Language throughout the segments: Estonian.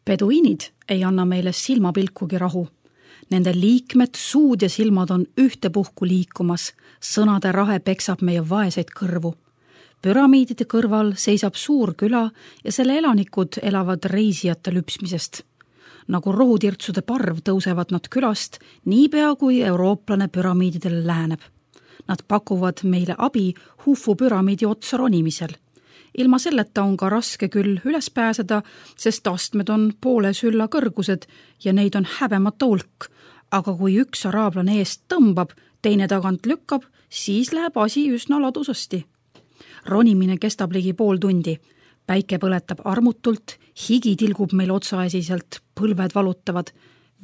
Peduiinid ei anna meile silmapilkugi rahu. Nende liikmed, suud ja silmad on ühtepuhku liikumas, sõnade rahe peksab meie vaeseid kõrvu. Püramiidide kõrval seisab suur küla ja selle elanikud elavad reisijate lüpsmisest. Nagu rohutirtsude parv tõusevad nad külast, niipea kui eurooplane püramiididele läheneb. Nad pakuvad meile abi Hufu püramiidi otsa ronimisel. Ilma selleta on ka raske küll üles pääseda, sest astmed on poole sülla kõrgused ja neid on häbemata hulk. Aga kui üks araablane eest tõmbab, teine tagant lükkab, siis läheb asi üsna ladusasti. Ronimine kestab ligi pool tundi. Päike põletab armutult, higi tilgub meil otsaesiselt, põlved valutavad.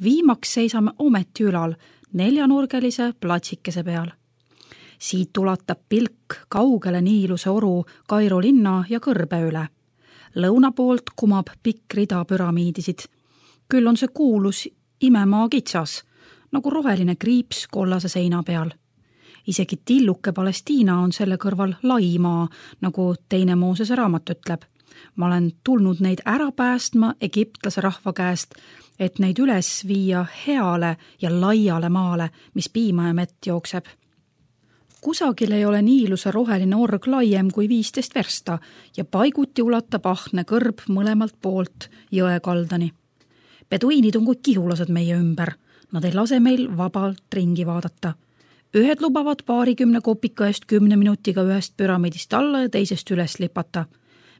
Viimaks seisame ometi ülal, neljanurgelise platsikese peal. Siit ulatab pilk kaugele Niiluse oru Kairo linna ja kõrbe üle. Lõuna poolt kumab pikk rida püramiidisid. Küll on see kuulus imemaa kitsas, nagu roheline kriips kollase seina peal. Isegi tilluke Palestiina on selle kõrval laimaa, nagu teine Moosese raamat ütleb. Ma olen tulnud neid ära päästma egiptlase rahva käest, et neid üles viia heale ja laiale maale, mis piima ja mett jookseb. Kusagil ei ole Niiluse roheline org laiem kui 15 versta ja paiguti ulatab ahne kõrb mõlemalt poolt jõe kaldani. Peduiinid on kui kihulased meie ümber. Nad ei lase meil vabalt ringi vaadata. Ühed lubavad 20 kopika eest 10 minutiga ühest püramiidist alla ja teisest üles lipata.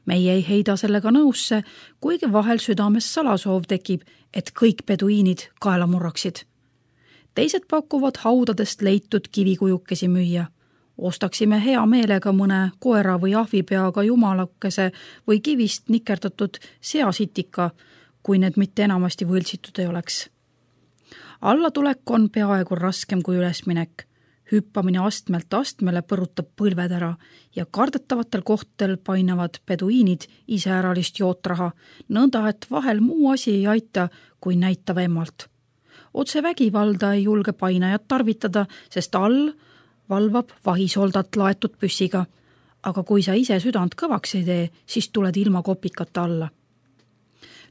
Meie ei heida sellega nõusse, kuigi vahel südames salasoov tekib, et kõik peduiinid kaela murraksid. Teised pakuvad haudadest leitud kivikujukesi müüa. Ostaksime hea meelega mõne koera või ahvipeaga jumalakese või kivist nikerdatud seasitika, kui need mitte enamasti võltsitud ei oleks. Allatulek on peaaegu raskem kui ülesminek. Hüppamine astmelt astmele põrutab põlved ära ja kardetavatel kohtadel painavad peduiinid iseäralist jootraha, nõnda et vahel muu asi ei aita, kui näita vemmalt. Otse vägivalda ei julge painajat tarvitada, sest all valvab vahisoldat laetud püssiga. Aga kui sa ise südant kõvaks ei tee, siis tuled ilma kopikata alla.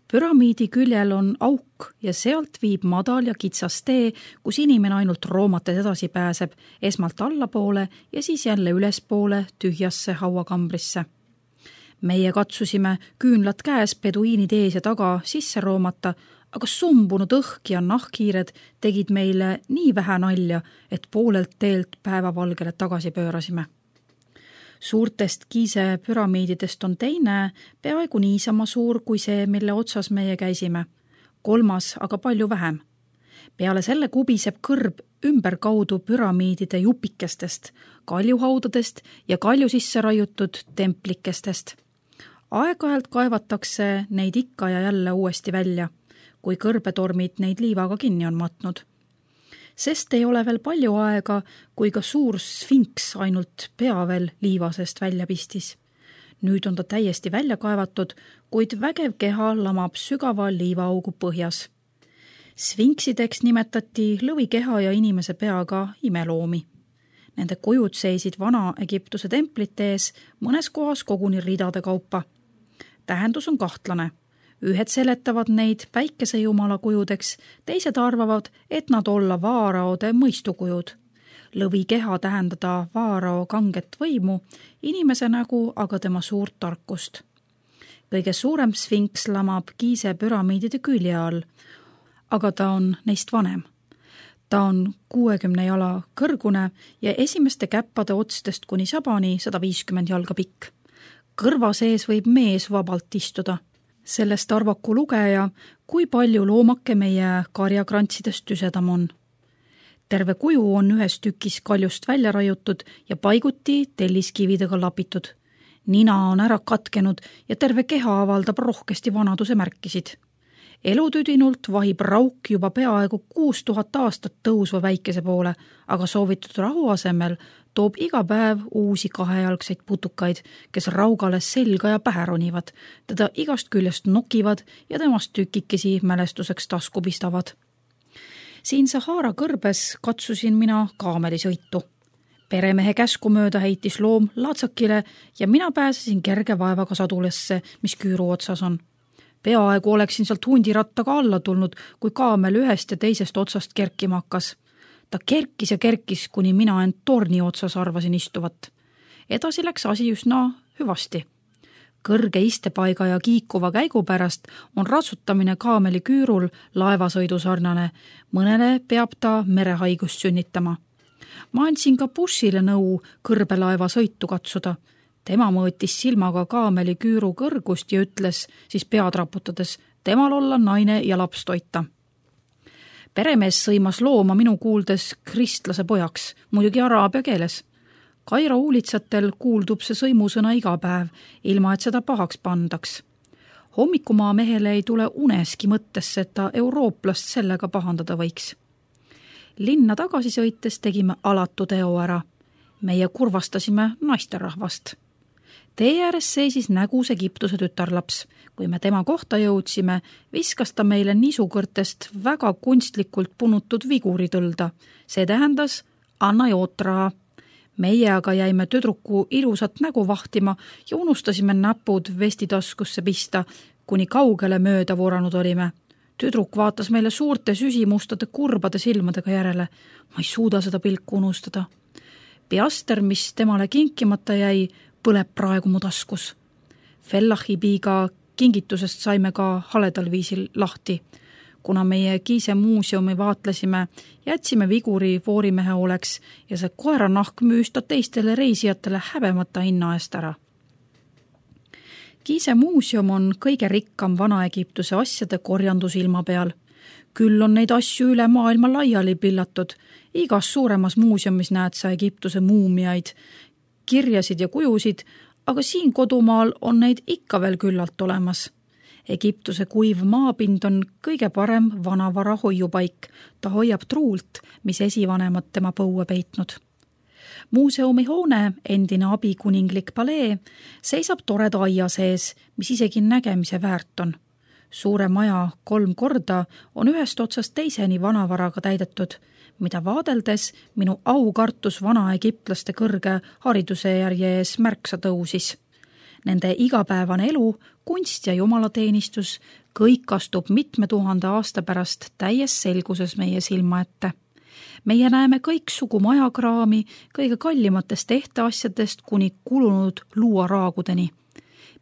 Püramiidi küljel on auk ja sealt viib madal ja kitsas tee, kus inimene ainult roomates edasi pääseb, esmalt allapoole ja siis jälle ülespoole tühjasse hauakambrisse. Meie katsusime küünlad käes peduiinid ees ja taga sisse roomata, aga sumbunud õhk ja nahkhiired tegid meile nii vähe nalja, et poolelt teelt päevavalgele tagasi pöörasime. Suurtest Gize püramiididest on teine, peaaegu niisama suur kui see, mille otsas meie käisime. Kolmas, aga palju vähem. Peale selle kubiseb kõrb ümberkaudu püramiidide jupikestest, kaljuhaudadest ja kalju sisse raiutud templikestest. Aeg-ajalt kaevatakse neid ikka ja jälle uuesti välja, kui kõrbetormid neid liivaga kinni on matnud. Sest ei ole veel palju aega, kui ka suur sfinks ainult pea veel liivasest välja pistis. Nüüd on ta täiesti välja kaevatud, kuid vägev keha lamab sügava liivaaugu põhjas. Sfinksideks nimetati lõvikeha ja inimese peaga imeloomi. Nende kujud seisid Vana-Egiptuse templite ees, mõnes kohas koguni ridade kaupa. Tähendus on kahtlane. Ühed seletavad neid päikesejumala kujudeks, teised arvavad, et nad olla vaaraode mõistukujud. Lõvi keha tähendada vaarao kanget võimu, inimese nägu aga tema suurt tarkust. Kõige suurem sfinks lamab Gize püramiidide külje all, aga ta on neist vanem. Ta on 60 jala kõrgune ja esimeste käppade otstest kuni sabani 150 jalga pikk. Kõrva sees võib mees vabalt istuda. Sellest arvaku lugeja, kui palju loomake meie karjakrantsidest tüsedam on. Terve kuju on ühes tükis kaljust välja raiutud ja paiguti telliskividega lapitud. Nina on ära katkenud ja terve keha avaldab rohkesti vanaduse märkisid. Elutüdinult vahib rauk juba peaaegu 6000 aastat tõusva väikese poole, aga soovitud rahu asemel toob iga päev uusi kahejalgseid putukaid, kes raugale selga ja pähe ronivad, teda igast küljest nokivad ja temast tükikesi mälestuseks tasku pistavad. Siin Sahara kõrbes katsusin mina kaamelisõitu. Peremehe käsku mööda heitis loom laatsakile ja mina pääsesin kerge vaevaga sadulesse, mis küüru otsas on. Peaaegu oleksin sealt hundirattaga alla tulnud, kui kaamel ühest ja teisest otsast kerkima hakkas. Ta kerkis ja kerkis, kuni mina end torni otsas arvasin istuvat. Edasi läks asi üsna hüvasti. Kõrge istepaiga ja kiikuva käigu pärast on ratsutamine kaameli küürul laevasõidu sarnane. Mõnele peab ta merehaigust sünnitama. Ma andsin ka bussile nõu kõrbelaeva sõitu katsuda. Tema mõõtis silmaga kaameli küüru kõrgust ja ütles siis pead raputades, temal olla naine ja laps toita. Peremees sõimas looma minu kuuldes kristlase pojaks, muidugi araabia keeles. Kairo uulitsatel kuuldub see sõimusõna iga päev, ilma et seda pahaks pandaks. Hommikumaa mehele ei tule uneski mõttesse, et ta eurooplast sellega pahandada võiks. Linna tagasi sõites tegime alatu teo ära. Meie kurvastasime naisterahvast. Tee ääres seisis nägus Egiptuse tütarlaps. Kui me tema kohta jõudsime, viskas ta meile nisukõrtest väga kunstlikult punutud viguritõlda. See tähendas, anna jootraha. Meie aga jäime tüdruku ilusat nägu vahtima ja unustasime näpud vestitaskusse pista, kuni kaugele mööda voranud olime. Tüdruk vaatas meile suurte süsimustade kurbade silmadega järele. Ma ei suuda seda pilku unustada. Piaster, mis temale kinkimata jäi, põleb praegu mu taskus. Fellahibiga kingitusest saime ka haledal viisil lahti. Kuna meie Gize muuseumi vaatlesime, jätsime viguri voorimehe oleks ja see koeranahk müüs ta teistele reisijatele häbemata hinna eest ära. Gize muuseum on kõige rikkam Vana-Egiptuse asjade korjandus ilma peal. Küll on neid asju üle maailma laiali pillatud. Igas suuremas muuseumis näed sa Egiptuse muumiaid, kirjasid ja kujusid, aga siin kodumaal on neid ikka veel küllalt olemas. Egiptuse kuiv maapind on kõige parem vanavara hoiupaik. Ta hoiab truult, mis esivanemad tema põue peitnud. Muuseumi hoone, endine abikuninglik palee, seisab toreda aia sees, mis isegi nägemise väärt on. Suure maja 3 korda on ühest otsast teiseni vanavaraga täidetud, mida vaadeldes minu aukartus vana-egiptlaste kõrge hariduse järje ees märksa tõusis. Nende igapäevane elu, kunst ja jumalateenistus, kõik astub mitme 1000 aasta pärast täies selguses meie silma ette. Meie näeme kõik sugu majakraami, kõige kallimatest ehteasjadest kuni kulunud luuaraagudeni.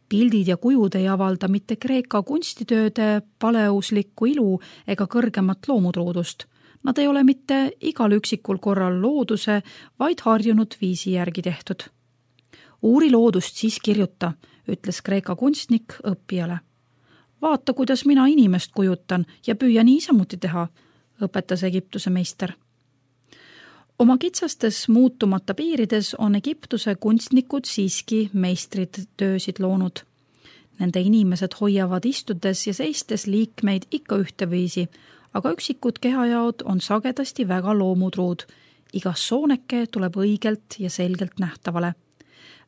Pildid ja kujud ei avalda mitte Kreeka kunstitööde paleuslikku ilu ega kõrgemat loomutruudust. Nad ei ole mitte igal üksikul korral looduse, vaid harjunud viisi järgi tehtud. Uuri loodust, siis kirjuta, ütles Kreeka kunstnik õppijale. Vaata, kuidas mina inimest kujutan ja püüa niisamuti teha, õpetas Egiptuse meister. Oma kitsastes muutumata piirides on Egiptuse kunstnikud siiski meistrid töösid loonud. Nende inimesed hoiavad istudes ja seistes liikmeid ikka ühteviisi, aga üksikud kehajaod on sagedasti väga loomutruud. Igas sooneke tuleb õigelt ja selgelt nähtavale.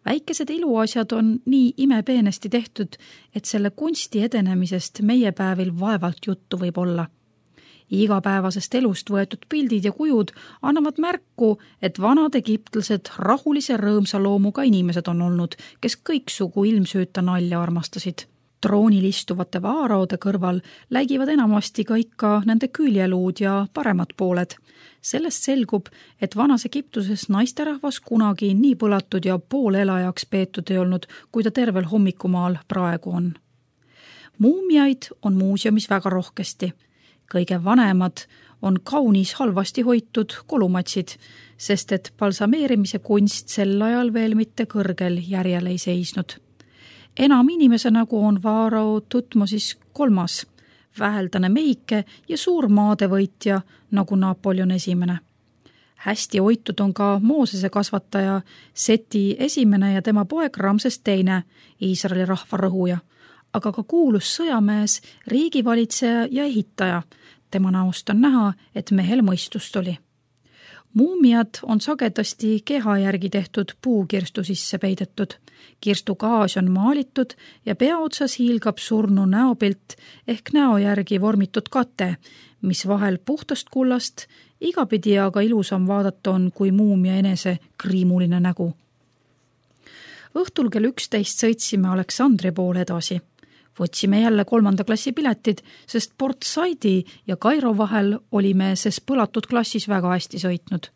Väikesed iluasjad on nii imepeenesti tehtud, et selle kunsti edenemisest meie päevil vaevalt juttu võib olla. Igapäevasest elust võetud pildid ja kujud annavad märku, et vanad egiptlased rahulise rõõmsa loomuga inimesed on olnud, kes kõiksugu ilmsüüta nalja armastasid. Troonil istuvate vaaraode kõrval läigivad enamasti ka ikka nende küljeluud ja paremad pooled. Sellest selgub, et vanas Egiptuses naisterahvas kunagi nii põlatud ja poolelajaks peetud ei olnud, kui ta tervel hommikumaal praegu on. Muumiaid on muuseumis väga rohkesti. Kõige vanemad on kaunis halvasti hoitud kolumatsid, sest et balsameerimise kunst sel ajal veel mitte kõrgel järjel ei seisnud. Enam inimese nägu on Vaarao Tutmosis 3, väheldane mehike ja suur maadevõitja nagu Napoleon I. Hästi hoitud on ka Moosese kasvataja Seti 1. ja tema poeg Ramses II, Iisraeli rahva rõhuja, aga ka kuulus sõjamees, riigivalitseja ja ehitaja. Tema näost on näha, et mehel mõistust oli. Muumiad on sagedasti keha järgi tehtud puukirstu sisse peidetud. Kirstu gaas on maalitud ja peaotsas hiilgab surnu näopilt ehk näo järgi vormitud kate, mis vahel puhtast kullast, igapidi aga ilusam vaadata on kui muumia enese kriimuline nägu. Õhtul kell 11 sõitsime Aleksandri poole edasi. Võtsime jälle 3. klassi piletid, sest Port Saidi ja Kairo vahel olime ses põlatud klassis väga hästi sõitnud.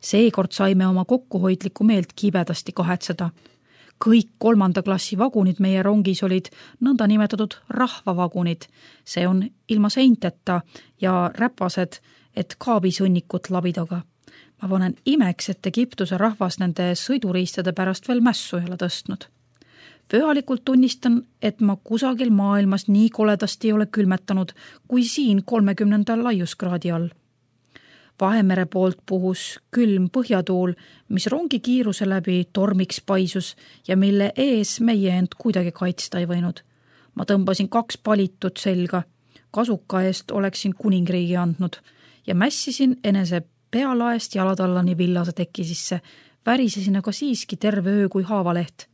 Seekord saime oma kokkuhoidlikku meelt kibedasti kahetseda. Kõik 3. klassi vagunid meie rongis olid nõnda nimetatud rahvavagunid. See on ilma seinteta ja räpased, et kaabisõnnikut labidaga. Ma panen imeks, et Egiptuse rahvas nende sõiduriistade pärast veel mässu ei ole tõstnud. Pühalikult tunnistan, et ma kusagil maailmas nii koledasti ei ole külmetanud kui siin 30. laiuskraadi all. Vahemere poolt puhus külm põhjatuul, mis rongi kiiruse läbi tormiks paisus ja mille ees meie end kuidagi kaitsta ei võinud. Ma tõmbasin 2 palitut selga, kasuka eest oleksin kuningriigi andnud ja mässisin enese pealaest jalatallani villase teki sisse, värisesin aga siiski terve öö kui haavaleht.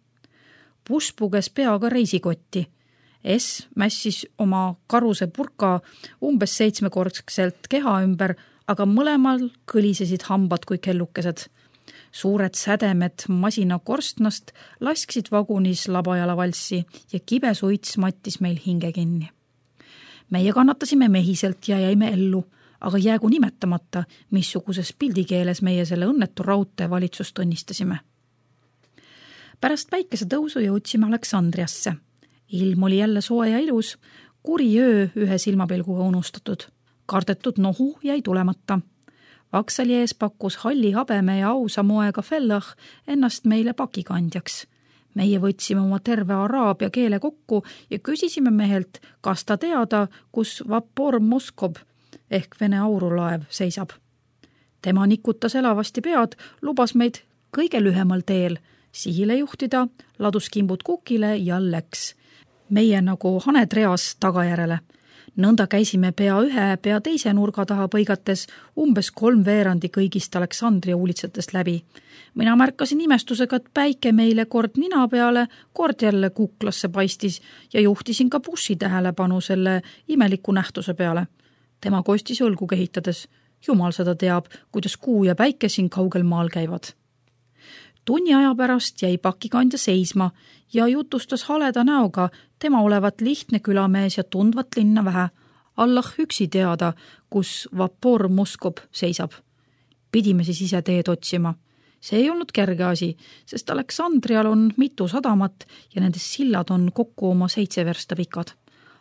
Buss puges peaga reisikotti. S mässis oma karuse purka umbes 7-kordselt keha ümber, aga mõlemal kõlisesid hambad kui kellukesed. Suured sädemed masina korstnast lasksid vagunis labajala valssi ja kibe suits mattis meil hinge kinni. Meie kannatasime mehiselt ja jäime ellu, aga jäägu nimetamata, missuguses pildikeeles meie selle õnnetu raudtee valitsust õnnistasime. Pärast päikesetõusu jõudsime Aleksandriasse. Ilm oli jälle soe ja ilus, kuri öö ühe silmapilguga unustatud. Kardetud nohu jäi tulemata. Vaksali ees pakkus halli habeme ja ausa moega Fellah ennast meile pakikandjaks. Meie võtsime oma terve araabia keele kokku ja küsisime mehelt, kas ta teada, kus Vapor Moskob ehk Vene aurulaev seisab. Tema nikutas elavasti pead, lubas meid kõige lühemal teel sihile juhtida, ladus kimbud kukile ja läks. Meie nagu haned reas tagajärele. Nõnda käisime pea ühe, pea teise nurga taha põigates umbes 3/4 kõigist Aleksandria uulitsatest läbi. Mina märkasin imestusega, et päike meile kord nina peale, kord jälle kuklasse paistis ja juhtisin ka bussi tähelepanu selle imeliku nähtuse peale. Tema kostis õlgu kehitades. Jumal seda teab, kuidas kuu ja päike siin kaugel maal käivad. Tunni aja pärast jäi pakikandja seisma ja jutustas haleda näoga, tema olevat lihtne külamees ja tundvat linna vähe. Allah üksi teada, kus Vapor Moskob seisab. Pidime siis ise teed otsima. See ei olnud kerge asi, sest Aleksandrial on mitu sadamat ja nendes sillad on kokku oma 7 versta pikad.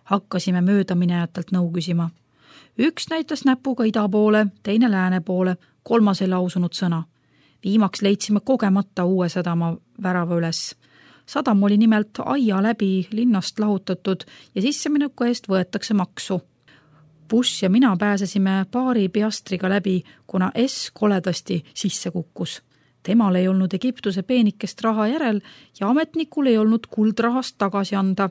Hakkasime möödaminejatelt nõu küsima. Üks näitas näpuga ida poole, teine lääne poole, 3 ei lausunud sõna. Viimaks leidsime kogemata uue sadama värava üles. Sadam oli nimelt aia läbi linnast lahutatud ja sissemineku eest võetakse maksu. Buss ja mina pääsesime paari piastriga läbi, kuna S koledasti sisse kukkus. Temal ei olnud Egiptuse peenikest raha järel ja ametnikul ei olnud kuldrahast tagasi anda.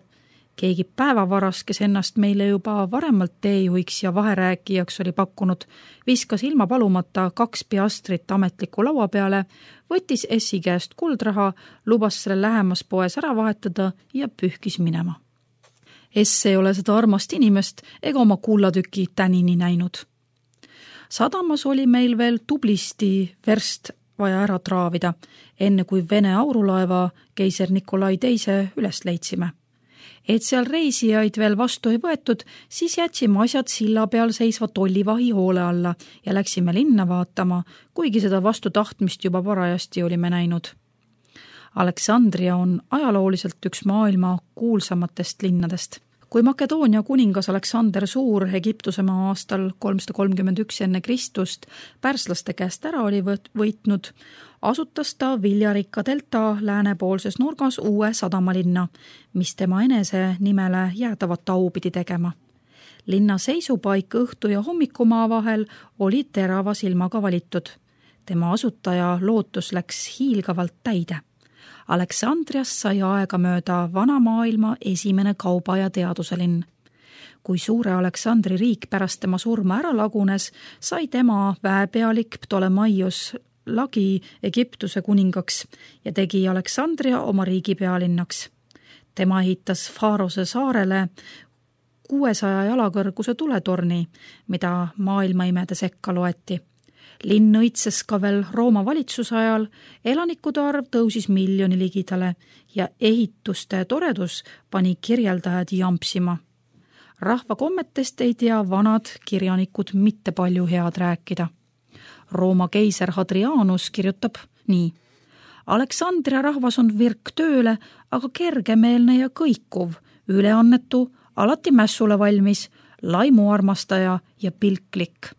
Keegi päevavaras, kes ennast meile juba varemalt teejuhiks ja vaherääkijaks oli pakkunud, viskas ilma palumata 2 piastrit ametliku laua peale, võttis S-i käest kuldraha, lubas selle lähemas poes ära vahetada ja pühkis minema. S ei ole seda armast inimest ega oma kullatüki tänini näinud. Sadamas oli meil veel tublisti verst vaja ära traavida, enne kui Vene aurulaeva keiser Nikolai II üles leidsime. Et seal reisijaid veel vastu ei võetud, siis jätsime asjad silla peal seisva tollivahi hoole alla ja läksime linna vaatama, kuigi seda vastu tahtmist juba parajasti olime näinud. Aleksandria on ajalooliselt üks maailma kuulsamatest linnadest. Kui Makedoonia kuningas Aleksander Suur Egiptusemaa aastal 331 enne Kristust pärslaste käest ära oli võitnud, asutas ta Viljarikka delta läänepoolses nurgas uue sadamalinna, mis tema enese nimele jäädavat au pidi tegema. Linna seisupaik õhtu ja hommikumaa vahel oli terava silmaga valitud. Tema asutaja lootus läks hiilgavalt täide. Aleksandriast sai aega mööda vana maailma esimene kauba- ja teaduse linn. Kui suure Aleksandri riik pärast tema surma ära lagunes, sai tema väepealik Ptolemaios lagi Egiptuse kuningaks ja tegi Aleksandria oma riigi pealinnaks. Tema ehitas Faarose saarele 600 jalakõrguse tuletorni, mida maailmaimede sekka loeti. Linn õitses ka veel Rooma valitsuse ajal, elanikude arv tõusis 1 miljoni ligidale ja ehituste toredus pani kirjeldajad jampsima. Rahva kommetest ei tea vanad kirjanikud mitte palju head rääkida. Rooma keiser Hadrianus kirjutab nii. Aleksandria rahvas on virk tööle, aga kergemeelne ja kõikuv, üleannetu, alati mässule valmis, laimuarmastaja ja pilklik.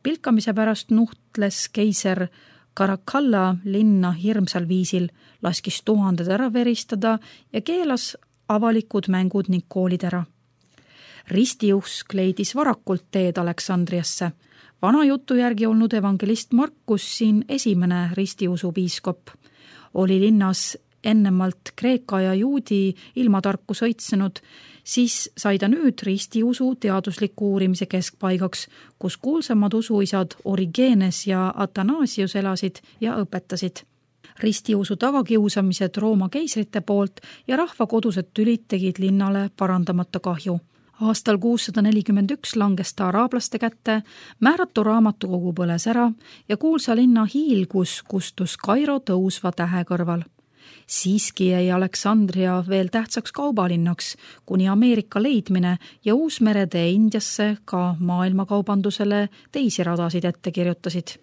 Pilkamise pärast nuhtles keiser Caracalla linna hirmsal viisil, laskis tuhanded ära veristada ja keelas avalikud mängud ning koolid ära. Ristiusk leidis varakult teed Aleksandriasse. Vana jutu järgi olnud evangelist Markus siin esimene ristiusu piiskop. Oli linnas ennemalt Kreeka ja juudi ilmatarku sõitsenud, siis sai ta nüüd ristiusu teadusliku uurimise keskpaigaks, kus kuulsamad usuisad Origenes ja Athanasius elasid ja õpetasid. Ristiusu tagakiusamised Rooma keisrite poolt ja rahva kodused tülid tegid linnale parandamata kahju. Aastal 641 langes ta araablaste kätte, määratu raamatukogu põles ära ja kuulsa linna hiilgus kustus Kairo tõusva tähe kõrval. Siiski jäi Aleksandria veel tähtsaks kaubalinnaks, kuni Ameerika leidmine ja Uusmeretee Indiasse ka maailmakaubandusele teisi radasid ette kirjutasid.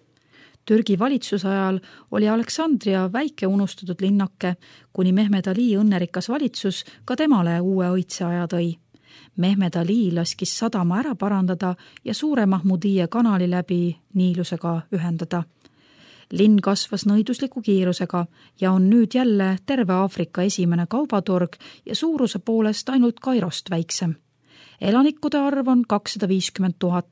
Türgi valitsuse ajal oli Aleksandria väike unustatud linnake, kuni Mehmed Ali õnnerikas valitsus ka temale uue õitseaja tõi. Mehmed Ali laskis sadama ära parandada ja suure Mahmudije kanali läbi Niilusega ühendada. Linn kasvas nõidusliku kiirusega ja on nüüd jälle terve Aafrika esimene kaubatorg ja suuruse poolest ainult Kairost väiksem. Elanikude arv on 250 000.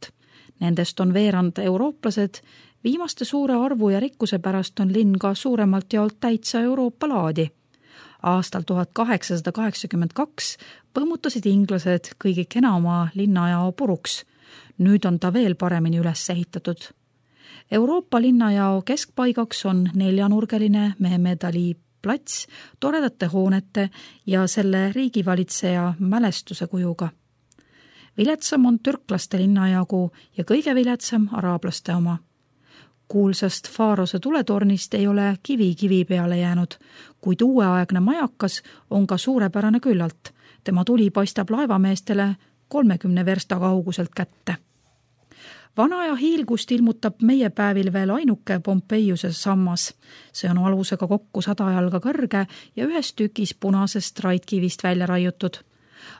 Nendest on veerand eurooplased. Viimaste suure arvu ja rikkuse pärast on linn ka suuremalt jaolt täitsa Euroopa laadi. Aastal 1882 põmmutasid inglased kõige kenama linnajao puruks. Nüüd on ta veel paremini üles ehitatud. Euroopa linnajao keskpaigaks on 4-nurgeline Mehmed Ali plats toredate hoonete ja selle riigivalitseja mälestuse kujuga. Viletsam on türklaste linnajagu ja kõige viletsam araablaste oma. Kuulsast Faarose tuletornist ei ole kivi peale jäänud, kuid uueaegne majakas on ka suurepärane küllalt. Tema tuli paistab laevameestele 30 versta kauguselt kätte. Vana ja hiilgust ilmutab meie päevil veel ainuke Pompeiuse sammas. See on alusega kokku 100 jalga kõrge ja ühes tükis punasest raidkivist välja raiutud.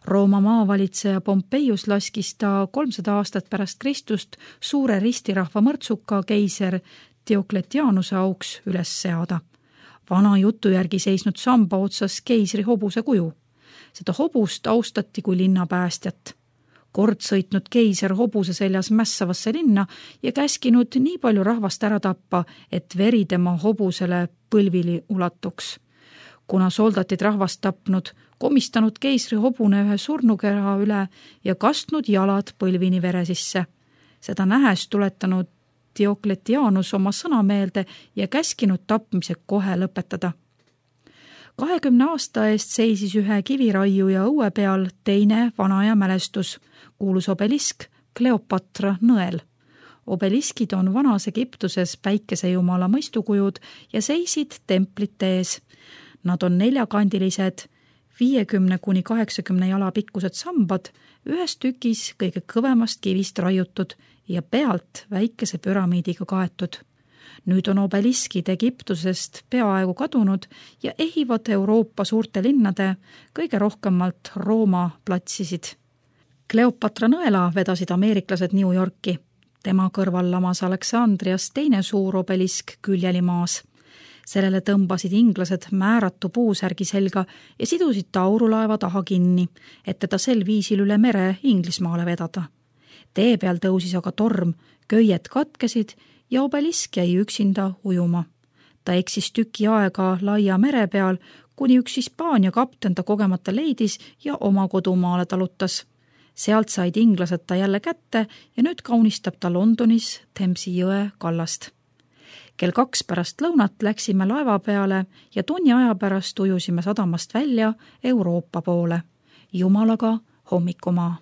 Rooma maavalitseja Pompeius laskis ta 300 aastat pärast Kristust suure ristirahva mõrtsuka keiser Diokletianuse auks üles seada. Vana jutu järgi seisnud samba otsas keisri hobuse kuju. Seda hobust austati kui linna päästjat. Kord sõitnud keiser hobuse seljas mässavasse linna ja käskinud nii palju rahvast ära tappa, et veri tema hobusele põlvili ulatuks. Kuna soldatid rahvast tapnud, komistanud keisri hobune ühe surnukera üle ja kastnud jalad põlvini vere sisse. Seda nähes tuletanud Diokletianus oma sõna meelde ja käskinud tapmise kohe lõpetada. 20 aasta eest seisis ühe kiviraiu ja õue peal teine vanaja mälestus, kuulus obelisk Kleopatra nõel. Obeliskid on vanas Egiptuses päikesejumala mõistukujud ja seisid templite ees. Nad on 4-kandilised, 50-80 jala pikkused sambad, ühes tükis kõige kõvemast kivist raiutud ja pealt väikese püramiidiga kaetud. Nüüd on obeliskid Egiptusest peaaegu kadunud ja ehivad Euroopa suurte linnade, kõige rohkemalt Rooma platsisid. Kleopatra nõela vedasid ameeriklased New Yorki. Tema kõrval lamas Aleksandrias teine suur obelisk küljeli maas. Sellele tõmbasid inglased määratu puusärgi selga ja sidusid taurulaeva taha kinni, et teda sel viisil üle mere Inglismaale vedada. Tee peal tõusis aga torm, köied katkesid ja obelisk jäi üksinda ujuma. Ta eksis tüki aega laia mere peal, kuni üks Hispaania kapten ta kogemata leidis ja oma kodumaale talutas. Sealt said inglased ta jälle kätte ja nüüd kaunistab ta Londonis Themsi jõe kallast. Kell 2 pärast lõunat läksime laeva peale ja tunni aja pärast ujusime sadamast välja Euroopa poole. Jumalaga hommikumaa.